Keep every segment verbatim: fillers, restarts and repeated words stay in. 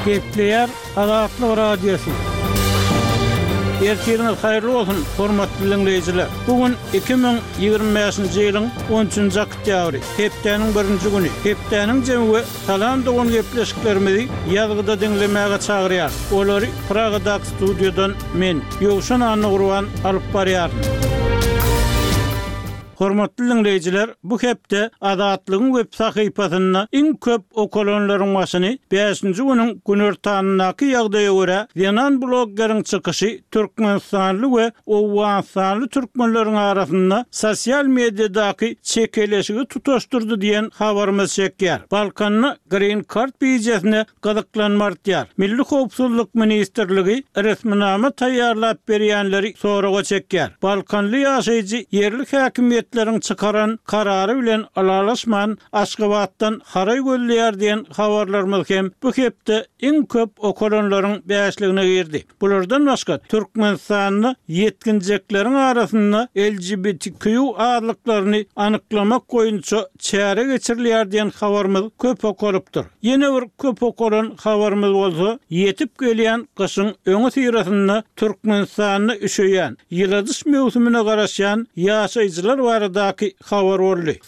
Gepleýär Azatlyk Radiosy. Ertiriňiz haýyrly bolsun, hormatly diňleýjiler! Bu gün iki müň ýigrimi bäşinji ýylyň on üçünji oktýabry, hepdäniň birinji güni. Hepdäniň jemi we Salam dogan gepleşiklerimizi ýazgyda diňlemäge çagyrýar. Olary Pragadaky studiýadan men, Ýowşan Annagurban alyp barýaryn. Hormatly diňleýjiler, bu hepde Azatlygyň web sahypasynda iň köp okalanlaryň başyny bäşinji günüň günortanyndaky ýagdaýa görä zenan bloggeriň çykyşy türkmenistanly we owganystanly türkmenleriň arasynda sosial mediadaky çekeleşigi tutaşdyrdy diýen habarymyz çekýär. Balkanda Green Card bijesine gyzyklanma artýar. Milli howpsuzlyk ministrligi resminama taýýarlap berýänleri soraga çekýär. Balkanly ýaşaýjy ýerli häkimiýetleriň çykaran karary bilen ylalaşman Aşgabatdan haraý gözleýär diýen habarlarymyz hem bu hepde iň köp okalanlaryň bäşligine girdi. Bulardan başga Türkmenistanda ýetginjekleriň arasynda L G B T Q azlyklaryny anyklamak boýunça çäre geçirilýär diýen habarymyz köp okalypdyr. Ýene bir köp okalan habarymyz bolsa, ýetip gelýän gyşyň öňüsyrasynda Türkmenistanda üşeýän, ýyladyş möwsümine garaşýan ýaşaýjylar baradaky habar boldy.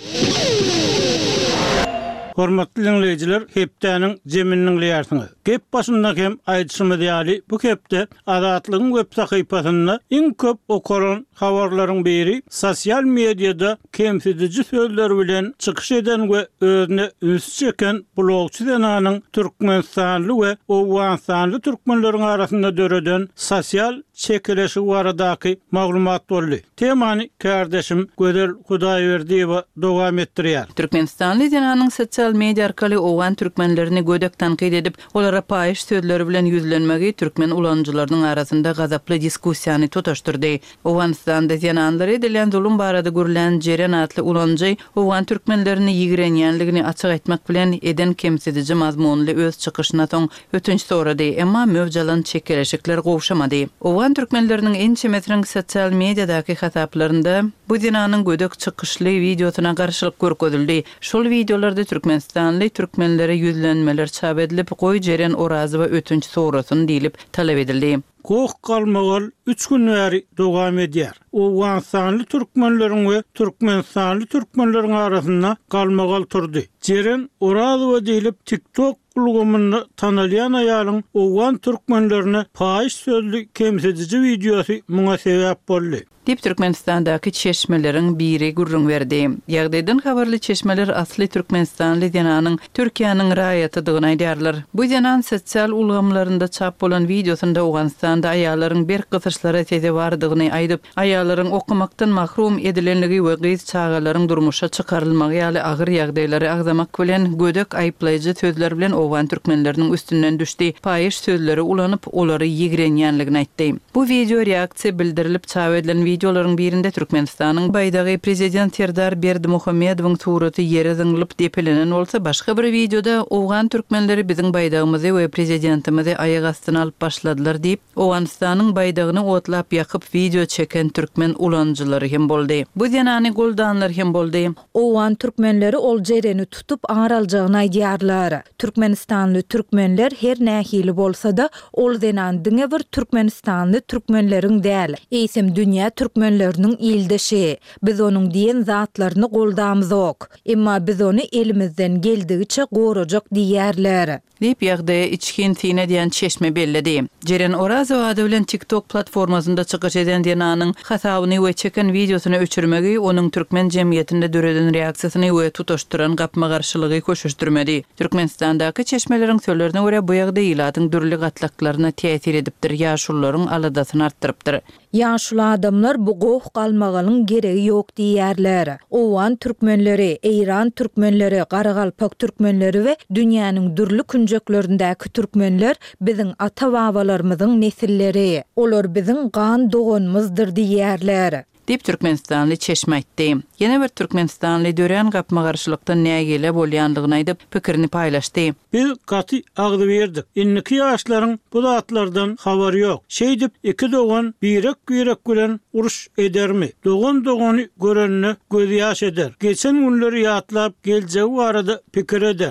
Hormatly diňleýjiler, hepdäniň jemini diňleýärsiňiz. Gep başynda hem aýdyşymyz ýaly, bu hepde Azatlygyň web sahypasynda iň köp okalan habarlaryň biri sosial mediada kemsidiji sözler bilen çykyş eden we özüne üns çeken blogçy zenanyň türkmenistanly we owganystanly türkmenleriň arasynda döreden sosial çekeleşigi baradaky maglumat boldy. Temany kärdeşim Gözel Hudaýberdiýewa dowam etdirýär. Türkmenistanly zenanyň sosial media arkaly owgan türkmenlerini gödek tankyt edip, olara paýyş sözleri bilen ýüzlenmegi türkmen ulanyjylarynyň arasynda gazaply diskussiýany tutaşdyrdy. Owganystanda zenanlara edilen zulum barada gürlän Jeren atly ulanyjy owgan türkmenlerini ýigrenýänligini açyk aýtmak bilen eden kemsidiji mazmunly öz çykyşyna soň ötünç sorady, emma möwjalan çekeleşikler gowşamady. Owgan türkmenleriniň ençemesiniň sosial mediadaky hasaplarynda bu zenanyň gödek çykyşly wideosyna garşylyk görkezildi. Şol wideolarda türkmenistanly türkmenlere ýüzlenmeler çap edilip, goý Jeren Orazowa ötünç sorasyn diýlip talap edildi. Goh galmagal üç gün bäri dowam edýär. Owganystanly türkmenleriň we türkmenistanly türkmenleriň arasynda galmagal turdy. Jeren Orazowa diýlip TikTok ulgamynda tanalýan aýalyň owgan türkmenlerine paýyş sözli kemsidiji wideosy muňa sebäp boldy. Diýip Türkmenistandaky çeşmeleriň biri gürrüň berdi. Ýagdaýdan habarly çeşmeler asly türkmenistanly zenanyň Türkiýäniň raýatydygyny aýdýarlar. Bu zenan sosial ulgamlarynda çap bolan wideosynda Owganystanda aýallaryň berk gysyşlara sezewardygyny aýdyp, aýallaryň okumakdan mahrum edilenligi we gyz çagalaryň durmuşa çykarylmagy ýaly agyr ýagdaýlary agzamak bilen gödek aýyplaýjy sözler bilen owgan türkmenleriniň üstünden düşdi. Paýyş sözleri ulanyp, olary ýigrenýänligini aýtdy. Bu wideo reaksiýa bildirilip çap edilen wideolaryň birinde Türkmenistanyň baýdagy prezident Serdar Berdimuhamedowyň suraty ýere zyňlyp depelenen bolsa, başga bir wideoda owgan türkmenleri biziň baýdagymyzy we prezidentimizi aýak astyna alyp başladylar diýip, Owganystanyň baýdagyny otlap ýakyp wideo çeken türkmen ulanyjylary hem boldy. Bu zenany goldanlar hem boldy. Owgan türkmenleri ol Jereni tutup ar aljagyny aýdýarlar. Türkmenistanly türkmenler her nähili bolsa-da, ol zenan diňe bir türkmenistanly türkmenleriň däl, eýsem dünýä türkmenleriniň ildeşi. Biz onuň diýen zatlaryny goldamzok. Emma biz ony elimizden geldigiçe gorajak diýerler. Diýip ýagdaýa içgin syn edýän çeşme belledi. Jeren Orazowa ady bilen TikTok platformasynda çykyş eden zenanyň hasabyny we çeken wideosyny öçürmegi onuň türkmen jemgyýetinde döreden reaksiýasyny we tutaşdyran gapma-garşylygy köşeşdirmedi. Türkmenistandaky çeşmeleriň sözlerine görä bu ýagdaý ilatyň dürli gatlaklaryna täsir edipdir, ýaşulularyň aladasyny artdyrypdyr. Ýaşuly adamlar bu goh galmagalyň geregi ýok diýerler. Owgan türkmenleri, Eýran türkmenleri, Garagalpak türkmenleri we dünýäniň dürli künjeklerindäki türkmenler biziň ata-babalarymyzyň nesilleri. Olar biziň gan doganymyzdyr diýerler. Diýip Türkmenistanly çeşme aýtdy. Ýene bir türkmenistanly dörän gapma-garşylykdan nägile bolýanlygyny aýdyp, pikirini paýlaşdy. Biz gaty agzybirdik. Indiki ýaşlaryň bu zatlardan habary ýok. Şeýdip iki dogan birek-birek bilen uruş edermi? Dogan dogany görende göz ýaş eder. Geçen günleri ýatlap geljegi barada pikir eder.